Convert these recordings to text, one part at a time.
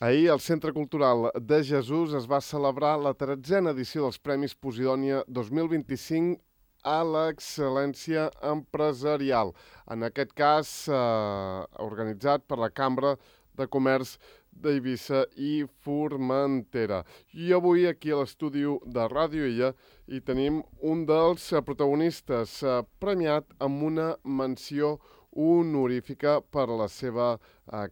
Ahir, al Centre Cultural de Jesús es va celebrar la 13a edició dels Premis Posidònia 2025 a l'excel·lència empresarial. En aquest cas, organitzat per la Cambra de Comerç d'Eivissa i Formentera. I avui, aquí a l'estudi de Ràdio Illa, hi tenim un dels protagonistes premiat amb una menció honorífica per la seva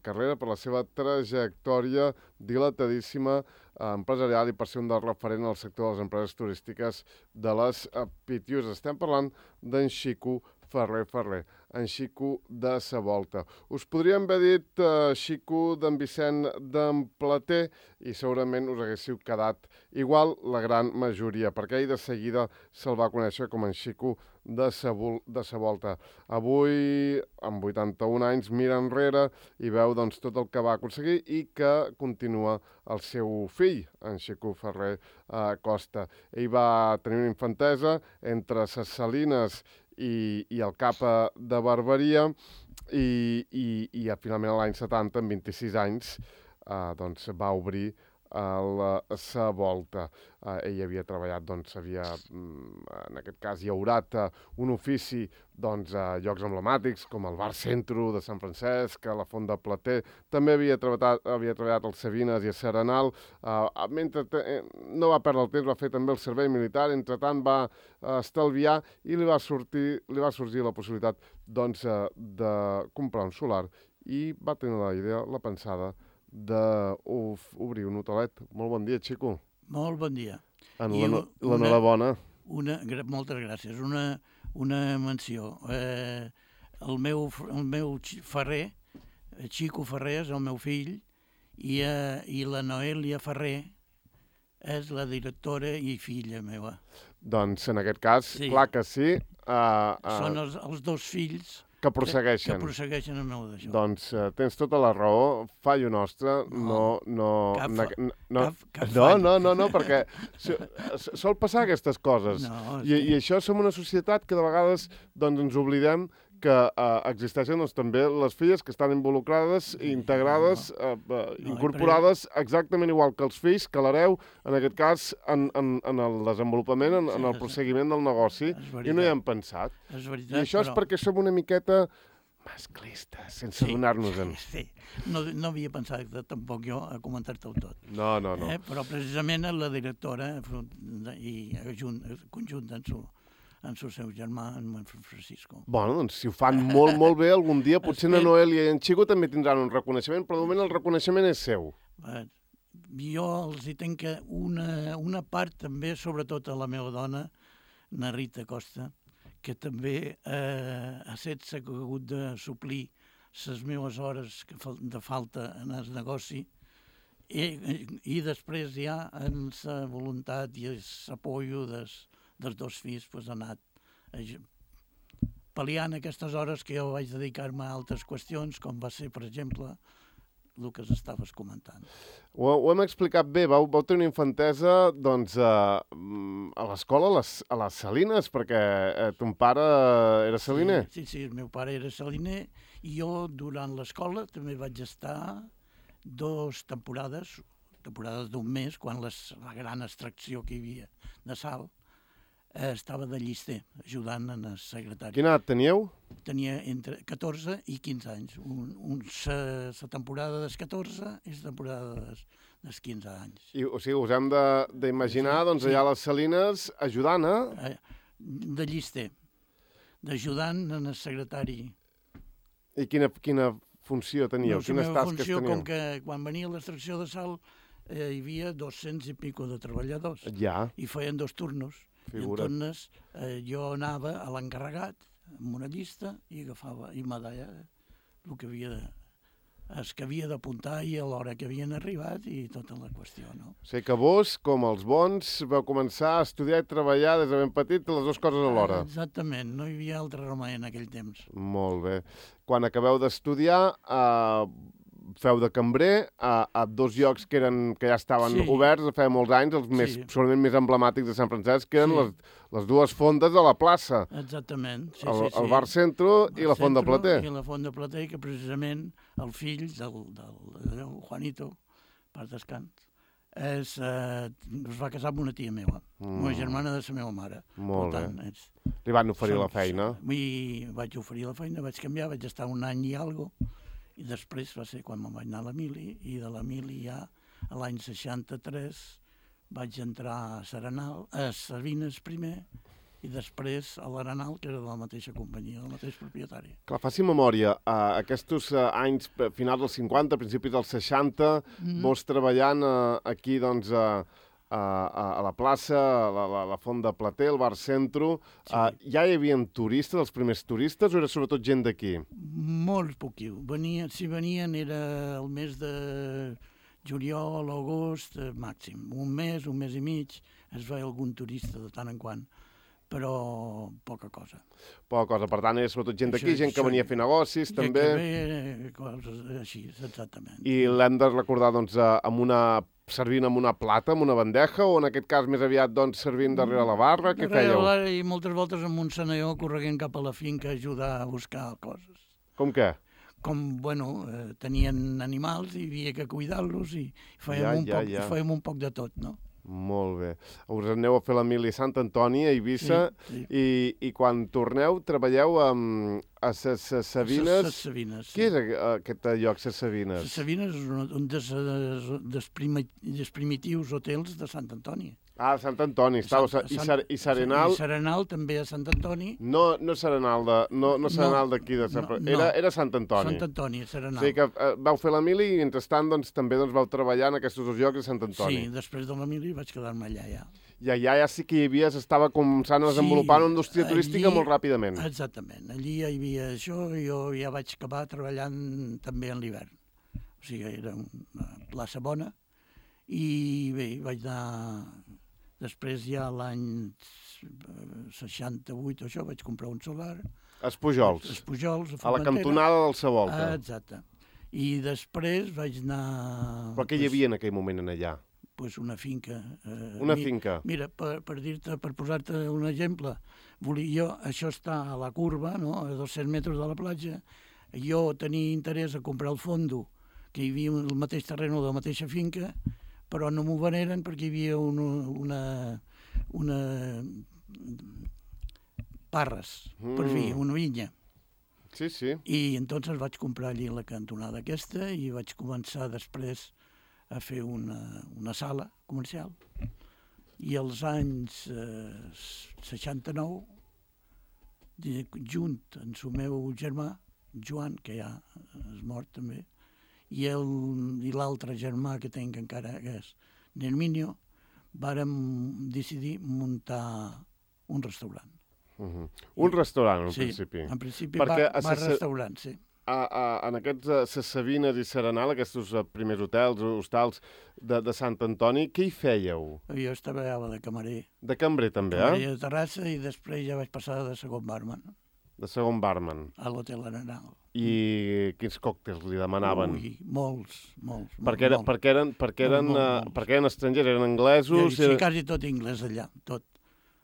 carrera, per la seva trajectòria dilatadíssima empresarial i per ser un dels referents al sector de les empreses turístiques de les Pitiüses. Estem parlant d'en Xico Ferrer, en Xico de sa Volta. Us podríem haver dit Xico d'en Vicent d'en Plater i segurament us haguéssiu quedat igual la gran majoria, perquè ell de seguida se'l va conèixer com en Xico de sa Volta. Avui, amb 81 anys, mira enrere i veu doncs, tot el que va aconseguir i que continua el seu fill, en Xico Ferrer Costa. Ell va tenir una infantesa entre ses Salines i el Capa de Barberia i finalment l'any 70, amb 26 anys, doncs va obrir sa Volta. Ell havia treballat, en aquest cas, llaurat un ofici a llocs emblemàtics com el Bar Centro de Sant Francesc, a la Font de Plater. També havia treballat als Savines i a Serenal. Mentre no va perdre el temps, va fer també el servei militar. Entretant va estalviar i li va sorgir la possibilitat de comprar un solar i va tenir la idea, la pensada, d'obrir un hotelet. Molt bon dia, Xico. Molt bon dia. L'enhorabona. Moltes gràcies. Una menció. El meu Ferrer, Xico Ferrer, és el meu fill, i la Noèlia Ferrer és la directora i filla meva. Doncs en aquest cas, sí. Clar que sí. Són els dos fills que prossegueixen el meu d'això. Doncs tens tota la raó, fallo nostre, no, perquè sol passar aquestes coses. I això som una societat que de vegades ens oblidem que existeixen també les filles que estan involucrades, integrades, incorporades exactament igual que els fills, que l'hereu, en aquest cas, en el desenvolupament, en el prosseguiment del negoci, i no hi hem pensat. I això és perquè som una miqueta masclistes, sense donar-nos-en. Sí, no havia pensat tampoc jo a comentar-te-ho tot. No. Però precisament la directora, i conjunta en el seu germà, en Francisco. Bueno, doncs si ho fan molt, molt bé, algun dia potser na Noèlia i en Xico també tindran un reconeixement, però de moment el reconeixement és seu. Jo els hi tenc una part també, sobretot a la meva dona, na Rita Costa, que també ha hagut de suplir les meves hores de falta en el negoci i després ja amb la voluntat i l'apollo dels dos fills ha anat pal·liant aquestes hores que jo vaig dedicar-me a altres qüestions, com va ser, per exemple, el que estaves comentant. Ho hem explicat bé. Vau tenir una infantesa a l'escola, a les Salines, perquè ton pare era saliner. Sí, el meu pare era saliner i jo durant l'escola també vaig estar 2 temporades d'un mes, quan la gran extracció que hi havia de sal, estava de llister, ajudant en el secretari. Quina edat teníeu? Tenia entre 14 i 15 anys. La temporada dels 14 i la temporada dels 15 anys. O sigui, us hem d'imaginar, allà a les Salines, ajudant, de llister, d'ajudant en el secretari. I quina funció teníeu? Quines tasques teníeu? Com que quan venia l'extracció de sal hi havia 200 i pico de treballadors. Ja. I feien 2 turnos. I en tornes jo anava a l'encarregat amb una llista i agafava i me deia el que havia d'apuntar i a l'hora que havien arribat i tota la qüestió, no? O sigui que vos, com els bons, vau començar a estudiar i treballar des de ben petit les 2 coses alhora. Exactament, no hi havia altre remei en aquell temps. Molt bé. Quan acabeu d'estudiar, feu de cambrer a 2 llocs que ja estaven oberts de feia molts anys, segurament més emblemàtics de Sant Francesc, que eren les 2 fondes de la plaça. Exactament. El Bar Centro i la Font de Plater. I la Font de Plater, que precisament el fill del Juanito pas descans, es va casar amb una tia meva, una germana de la meva mare. Molt bé. Li van oferir la feina? Vaig oferir la feina, vaig canviar, vaig estar un any i alguna cosa, i després va ser quan me'n vaig anar a la mili, i de la mili ja a l'any 63 vaig entrar a Serenal, a Sabines primer, i després a l'Arenal, que era de la mateixa companyia, del mateix propietari. Clar, faci memòria, aquests anys, finals dels 50, principis dels 60, vos treballant aquí, doncs, a la plaça, a la Font de Plater, el Bar Centro, ja hi havia turistes, els primers turistes, o era sobretot gent d'aquí? Molt poquiu. Si venien era el mes de juliol, agost, màxim. Un mes i mig, es veia algun turista de tant en quant, però poca cosa. Poca cosa, per tant, era sobretot gent d'aquí, gent que venia a fer negocis, també. Gent que ve, coses així, exactament. I l'hem de recordar, doncs, servint amb una plata, amb una bandeja, o en aquest cas més aviat, doncs, servint darrere la barra? Què fèieu? I moltes voltes amb un senaió correguent cap a la finca a ajudar a buscar coses. Com què? Tenien animals i havia que cuidar-los i fèiem un poc de tot, no? Molt bé. Us aneu a fer la mili a Sant Antoni, a Eivissa, i quan torneu treballeu a Ses Savines. Ses Savines, sí. Què és aquest lloc, Ses Savines? Ses Savines és un dels primitius hotels de Sant Antoni. Ah, Sant Antoni, i Serenal... I Serenal també a Sant Antoni. No Serenal d'aquí, era Sant Antoni. Sant Antoni, Serenal. O sigui que vau fer la mili i, mentrestant, també vau treballar en aquests dos llocs de Sant Antoni. Sí, després de la mili vaig quedar-me allà, ja. I allà ja sí que hi havia, s'estava començant a desenvolupar una indústria turística molt ràpidament. Exactament, allí hi havia això, i jo ja vaig acabar treballant també en l'hivern. O sigui, era una plaça bona, i bé, vaig anar... Després ja l'any 68 això vaig comprar un solar. Espujols. Espujols, a la cantonada del Savolta. Exacte. I després vaig anar... Però què hi havia en aquell moment en allà? Pues una finca. Una finca. Mira, per posar-te un exemple, això està a la curva, no? A 200 metres de la platja. Jo tenia interès a comprar el fondo, que hi havia el mateix terreny de la mateixa finca, però no m'ho veneren perquè hi havia una parres, per fi, una vinya. Sí, sí. I entonces vaig comprar allí la cantonada aquesta i vaig començar després a fer una sala comercial. I als anys 69, junt amb el meu germà, Joan, que ja és mort també, i l'altre germà que tinc encara, que és Nerminio, vàrem decidir muntar un restaurant. Un restaurant, en principi. Sí, en principi bar-restaurant, sí. En aquests Ses Savines i Serenal, aquests primers hotels, hostals de Sant Antoni, què hi fèieu? Jo treballava de camarer. De cambrer, també, Camarer de terrassa, i després ja vaig passar de segon barman. De segon barman. A l'hotel Arenal. I quins còctels li demanaven? Ui, molts. Perquè eren estrangers, eren anglesos... Sí, quasi tot anglès allà, tot.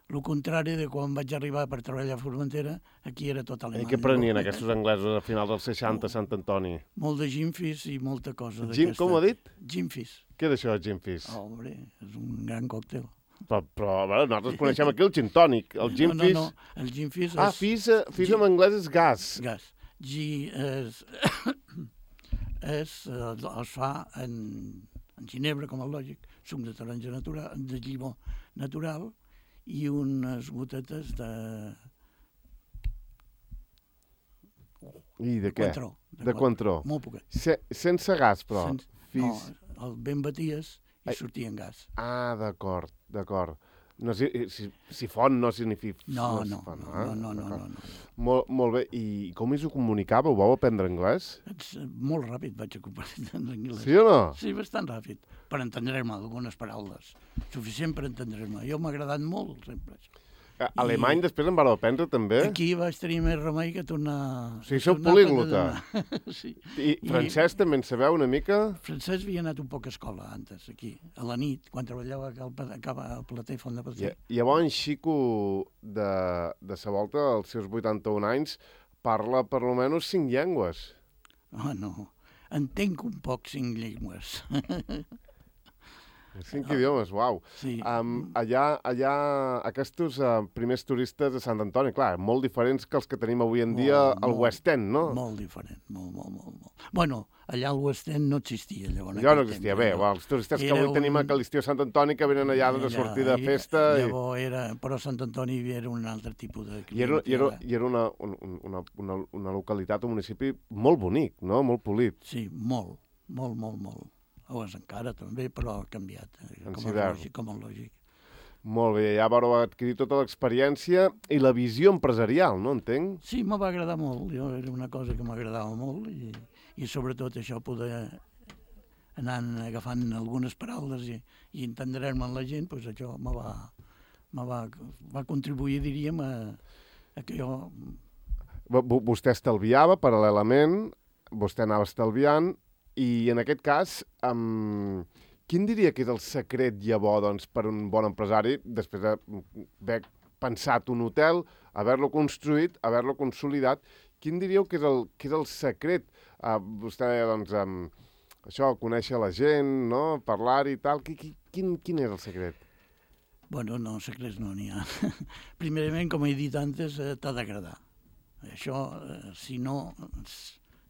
El contrari de quan vaig arribar per treballar a Formentera, aquí era tot alemany. I què prenien aquests anglesos a finals dels 60 a Sant Antoni? Molt de gimfis i molta cosa d'aquesta. Com ho ha dit? Gimfis. Què és això, gimfis? Home, és un gran còctel. Però nosaltres coneixem aquí el gin tònic. El gimfis... No, el gimfis és... Ah, fis en anglès és gas. Gas. Es fa en ginebra, com el lògic, suc de taronja natural, de llimó natural, i unes gotetes de... I de què? De Cointreau. Molt poquet. Sense gas, però? No, el ben baties i sortia en gas. Ah, d'acord. No, si font no significa... No. Molt bé. I com us ho comunicàveu? Vau aprendre anglès? Molt ràpid vaig aprendre anglès. Sí o no? Sí, bastant ràpid. Per entendre-me algunes paraules. Suficient per entendre-me. Jo m'ha agradat molt, sempre. Alemany després en vareu aprendre, també? Aquí vaig tenir més remei que tornar... O sigui, sou políglota. Sí. I francès també en sabeu una mica? Francès havia anat un poc a escola, antes, aquí, a la nit, quan treballava al Plater, Font de Plater. Llavors, en Xico de sa volta, als seus 81 anys, parla per almenys 5 llengües. No. Entenc un poc 5 llengües. 5 idiomes, uau. Sí. Allà aquests primers turistes de Sant Antoni, clar, molt diferents que els que tenim avui en dia al West End, no? Molt diferent, molt. Bueno, allà al West End no existia, llavors. Allò no existia, bé, els turistes que avui tenim a l'estiu Sant Antoni que venen allà a sortir de festa... Però Sant Antoni era un altre tipus de... I era una localitat, un municipi molt bonic, no? Molt polit. Sí, molt. O és encara també, però ha canviat, com el lògic. Molt bé, ja vareu adquirir tota l'experiència i la visió empresarial, no entenc? Sí, me va agradar molt, era una cosa que m'agradava molt i sobretot això poder anar agafant algunes paraules i entendre-me amb la gent, doncs això va contribuir, diríem, a que jo... Vostè estalviava paral·lelament, vostè anava estalviant, i en aquest cas, quin diria que és el secret llavors doncs, per un bon empresari, després d'haver pensat un hotel, haver-lo construït, haver-lo consolidat, quin diríeu que és el secret? Vostè deia, doncs, això, conèixer la gent, no? Parlar-hi i tal, quin és el secret? Bueno, no, secrets no n'hi ha. Primerament, com he dit antes, t'ha d'agradar. Això, si no...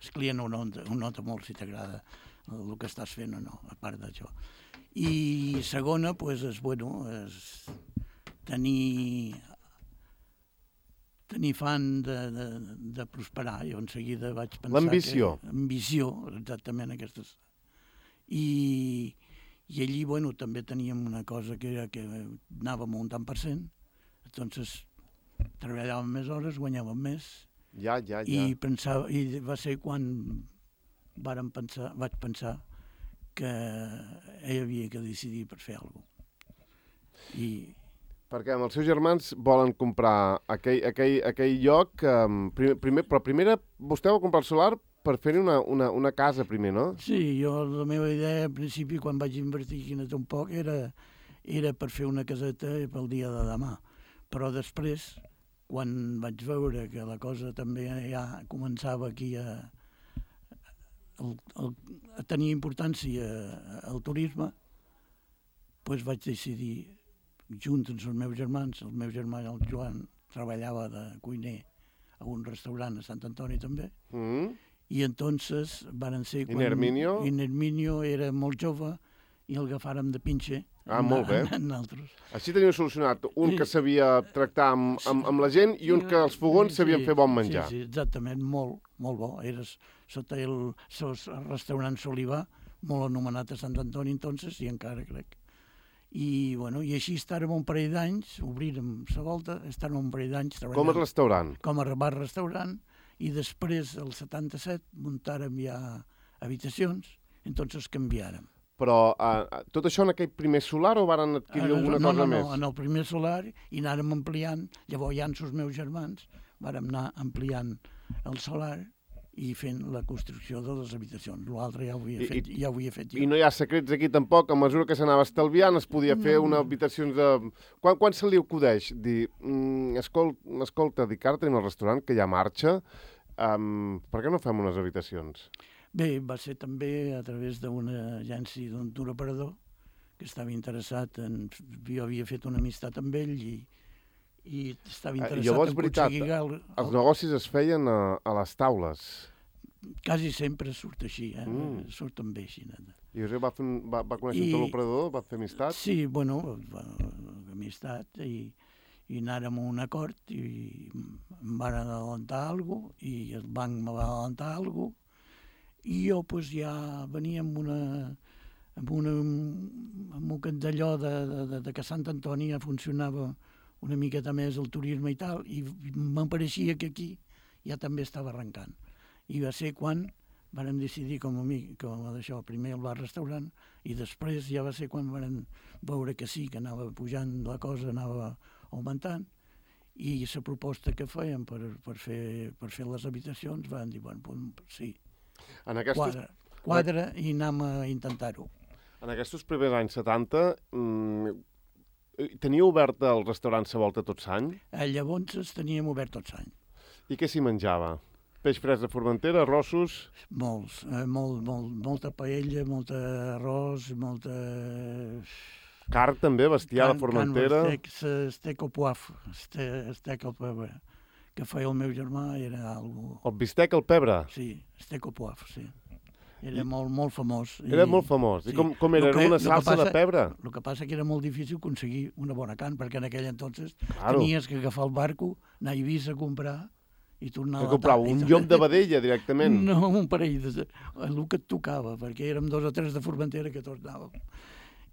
El client ho nota molt si t'agrada el que estàs fent o no, a part d'això. I segona, doncs, és tenir fan de prosperar. Jo en seguida vaig pensar... L'ambició. Ambició, exactament, aquestes. I allí, també teníem una cosa que era que anàvem a un tant per cent, doncs treballàvem més hores, guanyàvem més. Ja. I va ser quan vaig pensar que ell havia que decidir per fer alguna cosa. Perquè amb els seus germans volen comprar aquell lloc, però primer vostè va comprar el solar per fer-hi una casa primer, no? Sí, la meva idea al principi, quan vaig invertir un poc, era per fer una caseta pel dia de demà. Però després, quan vaig veure que la cosa també ja començava aquí a tenir importància al turisme, doncs vaig decidir, junt amb els meus germans, el Joan treballava de cuiner a un restaurant a Sant Antoni també, i entonces varen ser... I Nerminio? I Nerminio era molt jove i el agafàrem de pinxe. Molt bé. Nosaltres. Així teniu solucionat un que sabia tractar amb la gent i un que els fogons sabien fer bon menjar. Sí, exactament, molt bo. Era sota el restaurant Solivà, molt anomenat a Sant Antoni, entonces, i encara crec. I així estàvem un parell d'anys, obrirem la volta, estàvem un parell d'anys treballant. Com a restaurant? Com a bar-restaurant, i després, el 77, muntàrem ja habitacions, entonces canviàrem. Però tot això en aquell primer solar o varen adquirir alguna cosa més? No, en el primer solar i anàrem ampliant, llavors ja amb els meus germans vàrem anar ampliant el solar i fent la construcció de les habitacions. L'altre ja ho havia fet jo. I no hi ha secrets aquí tampoc, a mesura que s'anava estalviant es podia fer una habitació de... Quan se li acudeix dir, escolta, dic, ara tenim el restaurant que ja marxa, per què no fem unes habitacions? Bé, va ser també a través d'una agència d'un tour operador que estava interessat jo havia fet una amistat amb ell i estava interessat llavors, en aconseguir... Els negocis es feien a les taules? Quasi sempre surt així, surten bé així. I va conèixer un tour operador? Va fer amistat? Sí, amistat i anàrem a un acord i em van adelantar alguna cosa i el banc me va adelantar alguna cosa. I jo ja venia amb un d'allò de que Sant Antoni ja funcionava una miqueta més el turisme i tal, i m'apareixia que aquí ja també estava arrencant. I va ser quan vàrem decidir com d'això, primer el bar-restaurant, i després ja va ser quan vàrem veure que sí, que anava pujant la cosa, anava augmentant, i la proposta que fèiem per fer les habitacions van dir, sí, quadra i anem a intentar-ho. En aquests primers anys 70, teniu obert el restaurant La Volta tot l'any? Llavors teníem obert tot l'any. I què s'hi menjava? Peix fresc de Formentera, arrossos... Molta paella, molt arròs, molta... Carn també, bestiar de Formentera. Estec al poaf, estec al pebre, que feia el meu germà, era algo... El bistec al pebre? Sí, estec al poaf, sí. Era molt famós. Era molt famós. I com era? Era una salsa de pebre? El que passa que era molt difícil aconseguir una bona carn, perquè en aquell entonces tenies que agafar el barco, anar a Eivissa a comprar i tornar a la tarda. Que comprava un llom de vedella directament? No, un parell el que et tocava, perquè érem 2 o 3 de Formentera que tots anàvem.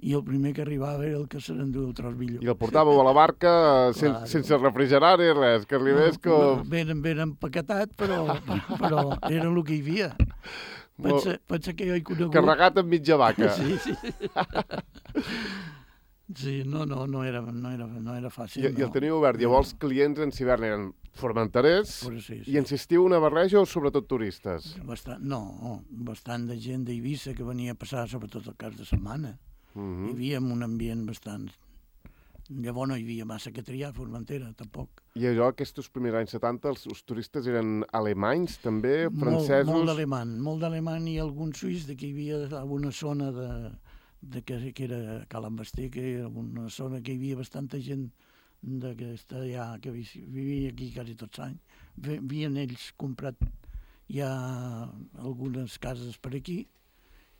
I el primer que arribava era el que se n'endú el tros millor. I el portàveu a la barca sense refrigerar ni res, que arribés com... Ben empaquetat, però era el que hi havia. Pensa que jo he conegut... Carregat amb mitja vaca. Sí. Sí, no era fàcil. I el teniu obert. Llavors, clients en hivern eren formenterers sí. I en estiu una barreja o sobretot turistes? Bastant de gent d'Eivissa que venia a passar sobretot el cap de setmana. Hi havia un ambient bastant... Llavors no hi havia massa que triar a Formentera, tampoc. I allò, aquests primers anys 70, els turistes eren alemanys, també, francesos? Molt d'alemany i algun suís, que hi havia alguna zona que era Calambasté, que era una zona que hi havia bastanta gent que vivia aquí quasi tots els anys. Havien ells comprat ja algunes cases per aquí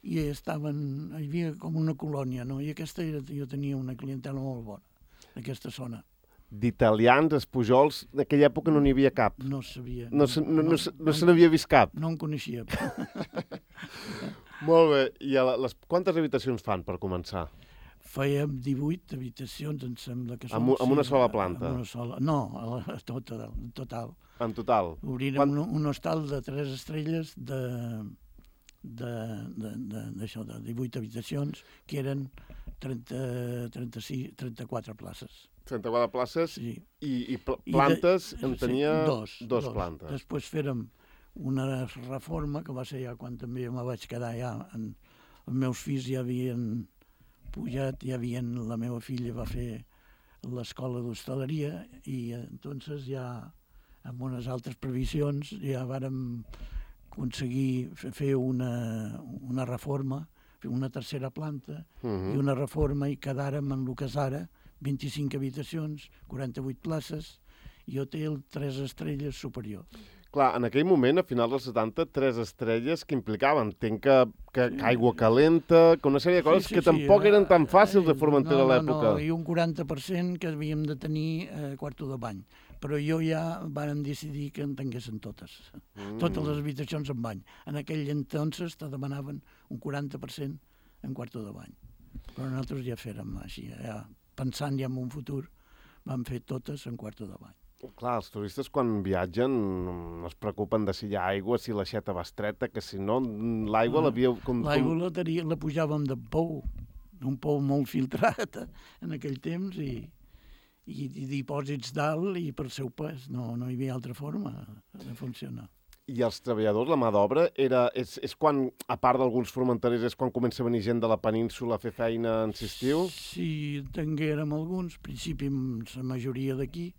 i hi havia com una colònia, no? I jo tenia una clientela molt bona d'aquesta zona. D'italians, espujols, en aquella època no n'hi havia cap? No sabia. No se n'havia vist cap? No en coneixia. Molt bé. I quantes habitacions fan, per començar? Fèiem 18 habitacions, em sembla que són. Amb una sola planta? Amb una sola. No, total. En total? Obrirem un hostal de 3 estrelles de 18 habitacions, que eren 34 places. 34 places, sí. I plantes en tenia dos plantes. Després fèrem una reforma, que va ser ja quan també me vaig quedar ja, els meus fills ja havien pujat, la meva filla va fer l'escola d'hostaleria i entonces ja amb unes altres previsions ja vàrem aconseguir fer una reforma, fer una tercera planta i una reforma i quedàrem en el que és ara 25 habitacions, 48 places i hotel 3 estrelles superior. Clar, en aquell moment, a finals dels 70, 3 estrelles que implicaven, entenc que aigua calenta, que una sèrie de coses que tampoc eren tan fàcils de Formentera a l'època. No, i un 40% que havíem de tenir quarto de bany. Però jo ja vàrem decidir que en tinguessin totes. Totes les habitacions en bany. En aquell entonces te demanaven un 40% en quarto de bany. Però nosaltres ja fèrem així, pensant ja en un futur, vam fer totes en quarto de bany. Clar, els turistes quan viatgen no es preocupen de si hi ha aigua, si l'aixeta va estreta, que si no, l'aigua l'havíeu... L'aigua la pujàvem de pou, un pou molt filtrat en aquell temps i dipòsits dalt i per seu pes. No hi havia altra forma de funcionar. I els treballadors, la mà d'obra, és quan, a part d'alguns formenterers, és quan comença a venir gent de la península a fer feina en estiu? Sí, tinguérem alguns, al principi la majoria d'aquí,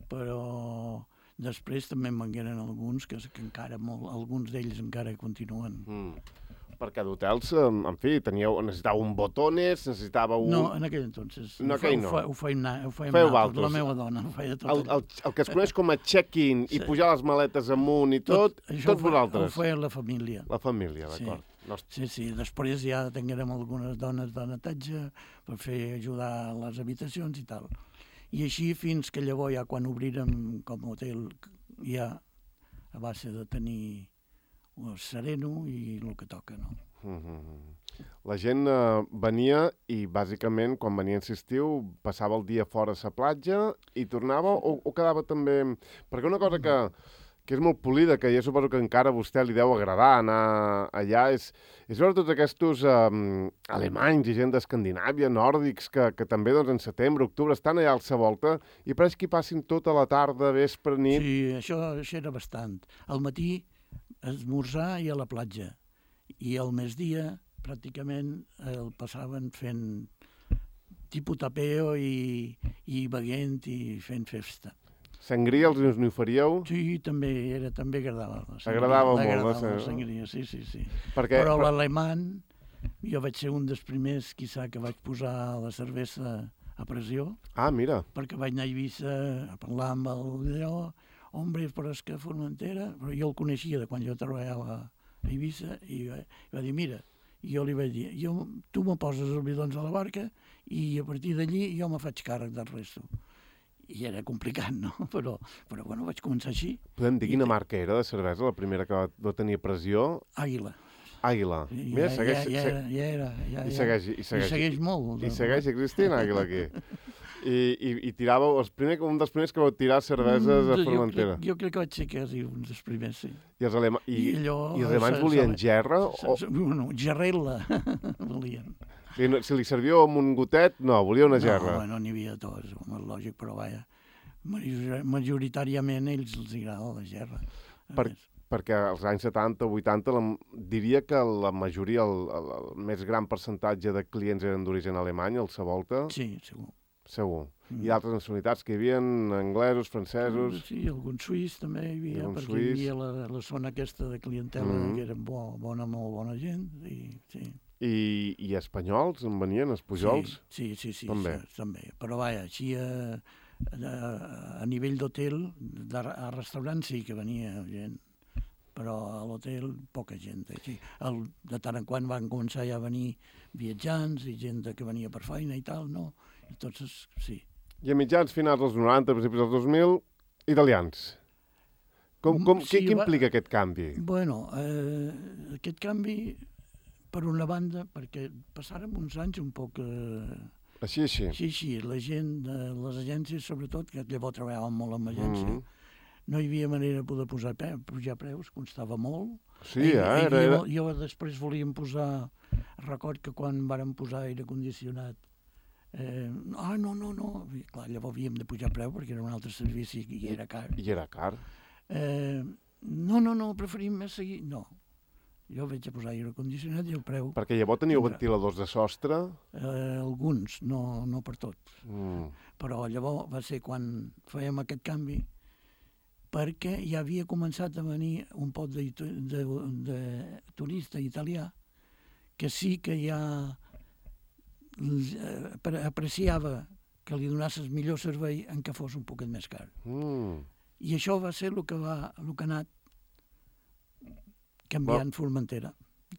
però després també en vengueren alguns que encara alguns d'ells encara continuen. Perquè d'hotels, en fi, necessitàveu un botones, necessitàveu un... No, en aquell entonces. No, aquell no. Ho fèiem nosaltres. La meva dona ho feia tot. El que es coneix com a check-in i pujar les maletes amunt i tot vosaltres. Ho feia la família. La família, d'acord. Sí. Després ja tinguérem algunes dones de netatge per ajudar a les habitacions i tal. I així fins que llavors ja quan obrirem com a hotel ja a base de tenir sereno i el que toca, no? La gent venia i bàsicament quan venia en estiu passava el dia fora a la platja i tornava o quedava també... Perquè una cosa que és molt polida, que jo suposo que encara a vostè li deu agradar anar allà, és veure tots aquests alemanys i gent d'Escandinàvia, nòrdics, que també doncs, en setembre, octubre, estan allà a la volta i pareix que hi passin tota la tarda, vespre, nit... Sí, això era bastant. Al matí esmorzar i a la platja. I al migdia, pràcticament, el passaven fent tipus tapeo i beguent i fent festa. Sangria els n'hi oferíeu? Sí, també agradava la sangria. Agradava molt, Agradava la sangria, sí. Perquè... Però l'alemany, jo vaig ser un dels primers, quizà, que vaig posar la cervesa a pressió. Ah, mira. Perquè vaig anar a Eivissa a parlar amb allò, hombre, però és que Formentera... Però jo el coneixia de quan jo treballava a Eivissa i va dir, mira, jo li vaig dir, tu me poses els bidons a la barca i a partir d'allí jo me faig càrrec del resto. I era complicat, no? Però bueno, vaig començar així. Podem dir quina marca era de cervesa, la primera que va tenir pressió? Àguila. Àguila. Mira, segueix... I segueix molt. I segueix existint Àguila aquí. I tiràveu, un dels primers que vau tirar cerveses a Formentera. Jo crec que vaig ser quasi un dels primers, sí. I els alemanys volien gerra? Bueno, gerrella volien. Si li servíeu amb un gotet, no, volia una gerra. No n'hi havia tots, és lògic, però vaja, majoritàriament ells els agrada la gerra. Perquè als anys 70, 80, diria que la majoria, el més gran percentatge de clients eren d'origen alemany, al Savolta. Sí, segur. Segur. I altres nacionalitats que hi havia, anglesos, francesos... Sí, algun suís també hi havia, perquè hi havia la zona aquesta de clientela que eren molt bona gent, sí. I espanyols en venien, els pujols? Sí, també. Però vaja, així a nivell d'hotel, a restaurant sí que venia gent, però a l'hotel poca gent. De tant en quant van començar ja a venir viatjants i gent que venia per feina i tal, no? I tots, sí. I a mitjans finals dels 90, principis dels 2000, italians. Què implica aquest canvi? Bueno, aquest canvi... Per una banda, perquè passàrem uns anys un poc... Així. La gent de les agències, sobretot, que llavors treballàvem molt amb agència, no hi havia manera de poder pujar preus, costava molt. Sí, Jo després volíem posar... Record que quan vàrem posar aire condicionat, no. I, clar, llavors havíem de pujar preu perquè era un altre servici i era car. I era car. No, preferim seguir... No. Jo vaig a posar aire condicionat i el preu... Perquè llavors teníeu ventiladors de sostre? Alguns, no per tots. Però llavors va ser quan fèiem aquest canvi, perquè ja havia començat a venir un pot de turista italià que sí que ja apreciava que li donessis millor servei en què fos un poquet més car. I això va ser el que ha anat canviant Formentera,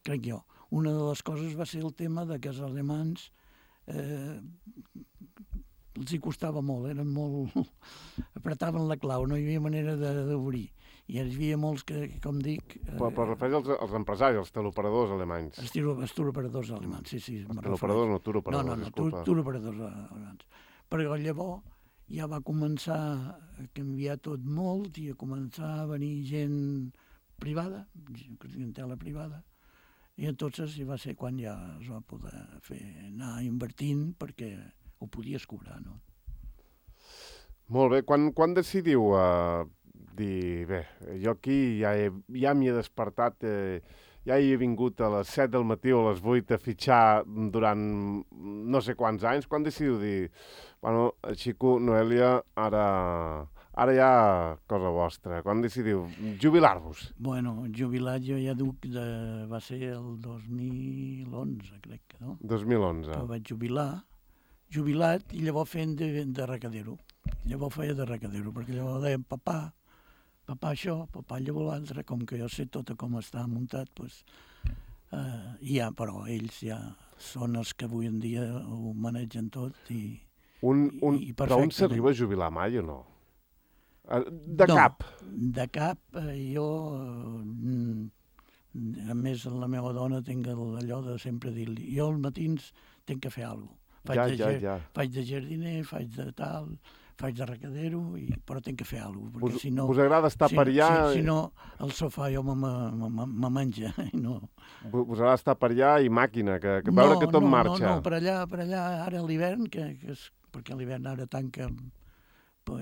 crec jo. Una de les coses va ser el tema de que els alemans els hi costava molt, eren molt... apretaven la clau, no hi havia manera d'obrir. I hi havia molts que, com dic... Però refereix als empresaris, als teleoperadors alemanys. Els teleoperadors alemanys, sí. Teleoperadors no, turoperadors, disculpa. No, turoperadors alemans. Però llavors ja va començar a canviar tot molt i a començar a venir gent privada, clientela privada, i entonces va ser quan ja es va poder anar invertint perquè ho podies cobrar, no? Molt bé. Quan decidiu dir, bé, jo aquí ja m'hi he despertat, ja hi he vingut a les 7 del matí o a les 8 a fitxar durant no sé quants anys, quan decidiu dir, bueno, Xico, Noelia, ara ja cosa vostra. Quan decidiu jubilar-vos? Bueno, jubilat jo ja duc va ser el 2011, crec, no? 2011. Que vaig jubilat i llavors fent de recadero. Llavors feia de recadero, perquè llavors deien papà això, papà llavors l'altre, com que jo sé tot com està muntat, doncs, però ells ja són els que avui en dia ho manegen tot i perfecte. Però un s'arriba a jubilar mai o no? Cap? De cap, jo, a més, la meva dona tinc allò de sempre dir-li, jo als matins tinc que fer alguna cosa. Faig de jardiner, faig de tal, faig de recadero, però tinc que fer alguna cosa, perquè si no... Us agrada estar per allà? Si no, el sofà jo me menja, no. Us agrada estar per allà i màquina, que veure que tot marxa? No, per allà, ara a l'hivern, perquè a l'hivern ara tanca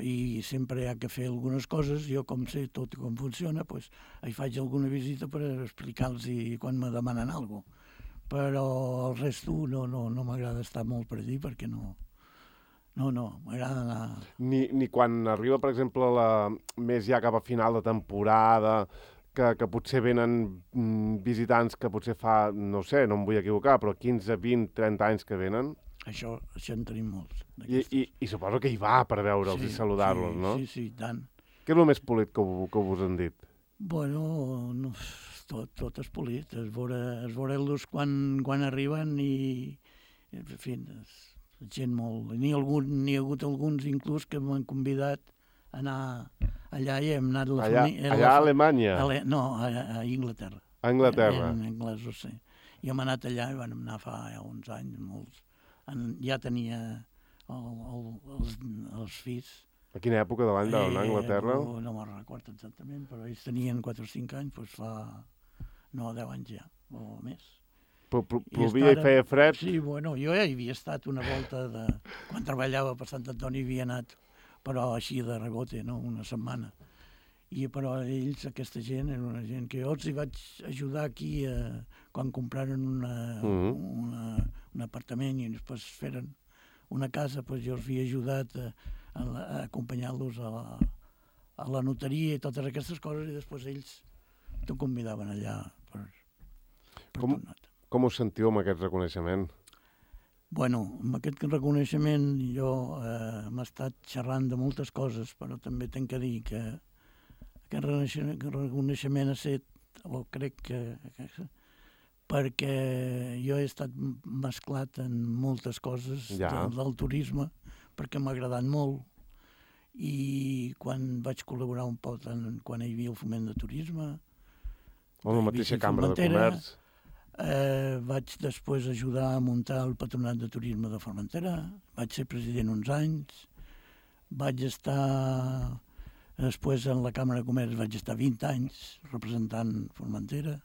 i sempre hi ha que fer algunes coses, jo com sé tot com funciona, doncs hi faig alguna visita per explicar-los quan me demanen alguna cosa. Però el resto no m'agrada estar molt per allí perquè no No, m'agrada anar... Ni quan arriba, per exemple, més ja cap a final de temporada, que potser venen visitants que potser fa, no sé, no em vull equivocar, però 15, 20, 30 anys que venen. Això en tenim molts. I suposo que hi va per veure'ls i saludar-los, no? Sí, tant. Què és el més polit que us han dit? Bueno, no, tot és polit. Es veure-los quan arriben i, en fi, gent molt... N'hi ha hagut alguns inclús que m'han convidat a anar allà i hem anat... Allà a Alemanya? No, a Inglaterra. A Anglaterra? En anglès, ho sé. I hem anat allà i vam anar fa uns anys, molts. Ja tenia els fills. A quina època de l'any d'anar a Anglaterra? No me'n recordo exactament, però ells tenien 4 o 5 anys, doncs fa... No, 10 anys ja, o més. Plovia i feia fred? Sí, bueno, jo ja hi havia estat una volta quan treballava per Sant Antoni, havia anat, però així de rebote, no? Una setmana. Però ells, aquesta gent, era una gent que jo els hi vaig ajudar aquí quan compraren un apartament i després feren una casa, doncs jo els havia ajudat a acompanyar-los a la notaria i totes aquestes coses, i després ells t'ho convidaven allà per Com us sentiu amb aquest reconeixement? Bueno, amb aquest reconeixement jo m'he estat xerrant de moltes coses, però també tinc que dir que aquest reconeixement ha estat, o crec que perquè jo he estat mesclat en moltes coses del turisme, perquè m'ha agradat molt, i quan vaig col·laborar un poc quan hi havia el foment de turisme, o la mateixa Cambra de Comerç. Vaig després ajudar a muntar el Patronat de Turisme de Formentera, vaig ser president uns anys, vaig estar després en la Càmera de Comerç, vaig estar 20 anys representant Formentera,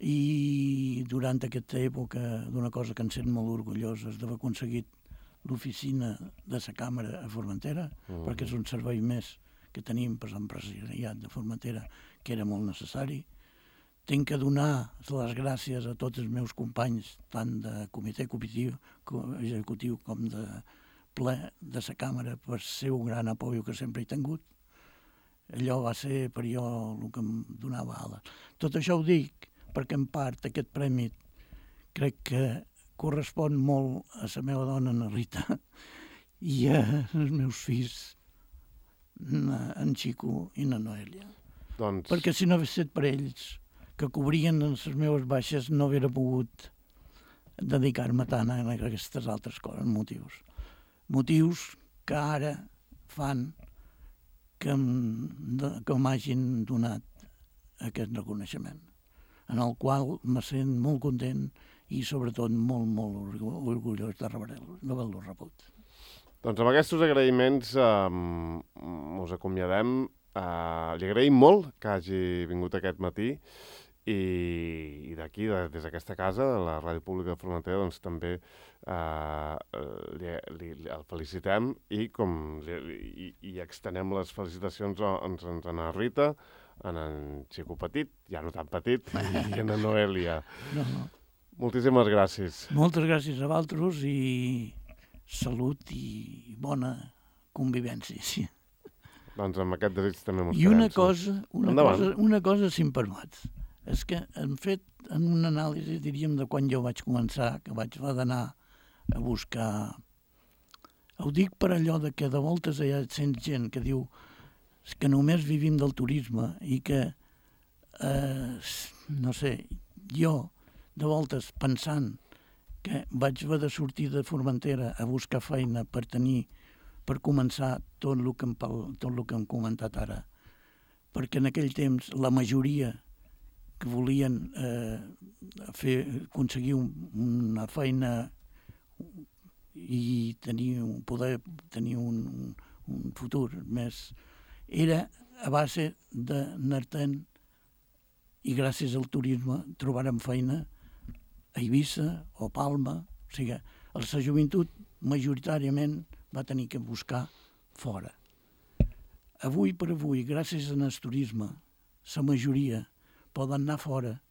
i durant aquesta època d'una cosa que em sent molt orgullós és d'haver aconseguit l'oficina de la Càmera a Formentera, perquè és un servei més que tenim per l'empresariat de Formentera, que era molt necessari. Tinc que donar les gràcies a tots els meus companys, tant de comitè executiu com de ple de la Càmera, per ser un gran apoio que sempre he tingut. Allò va ser per jo el que em donava ales. Tot això ho dic perquè en part aquest premi crec que correspon molt a la meva dona, na Rita, i als meus fills, en Xico i na Noelia. Perquè si no hagués estat per ells, que cobrien les meves baixes, no hauria pogut dedicar-me tant a aquestes altres coses, motius que ara fan que m'hagin donat aquest reconeixement, en el qual me sent molt content i sobretot molt, molt orgullós d'haver-lo rebut. Doncs amb aquests agraïments us acomiadem. Li agraïm molt que hagi vingut aquest matí i d'aquí, des d'aquesta casa, la Ràdio Pública de Formentera, doncs també el felicitem i extenem les felicitacions a na Rita, a en Xico Petit, ja no tan petit, i a na Noelia. No. Moltíssimes gràcies. Moltes gràcies a vosaltres i salut i bona convivència. Sí. Doncs amb aquest desig també mos quedem. I una cosa, si em permets, és que hem fet en una anàlisi, diríem, de quan jo vaig començar, que vaig anar a buscar... Ho dic per allò de que de voltes hi ha gent que diu que només vivim del turisme i que, no sé, jo de voltes pensant que vaig haver de sortir de Formentera a buscar feina per començar tot el que hem comentat ara. Perquè en aquell temps la majoria que volien aconseguir una feina i poder tenir un futur més, era a base d'anar-te'n i gràcies al turisme trobarem feina a Eivissa o Palma. O sigui, la joventut majoritàriament va tenir que buscar fora. Avui per avui, gràcies al turisme, la majoria poden anar fora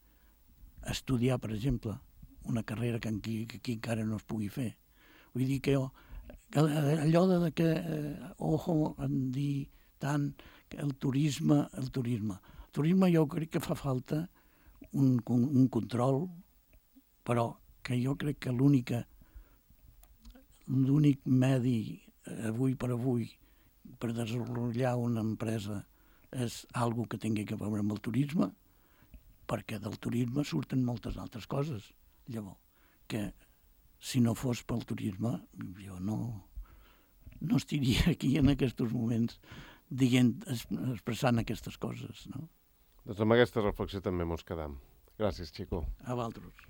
a estudiar, per exemple, una carrera que aquí encara no es pugui fer. Vull dir que jo allò de que, ojo, en dir tant que el turisme. El turisme jo crec que fa falta un control, però que jo crec que l'únic medi avui per desenvolupar una empresa és algo que tingui a veure amb el turisme, perquè del turisme surten moltes altres coses. Llavors, que si no fos pel turisme, jo no estaria aquí en aquests moments expressant aquestes coses, no? Doncs amb aquesta reflexió també mos quedam. Gràcies, Xico. A vosaltres.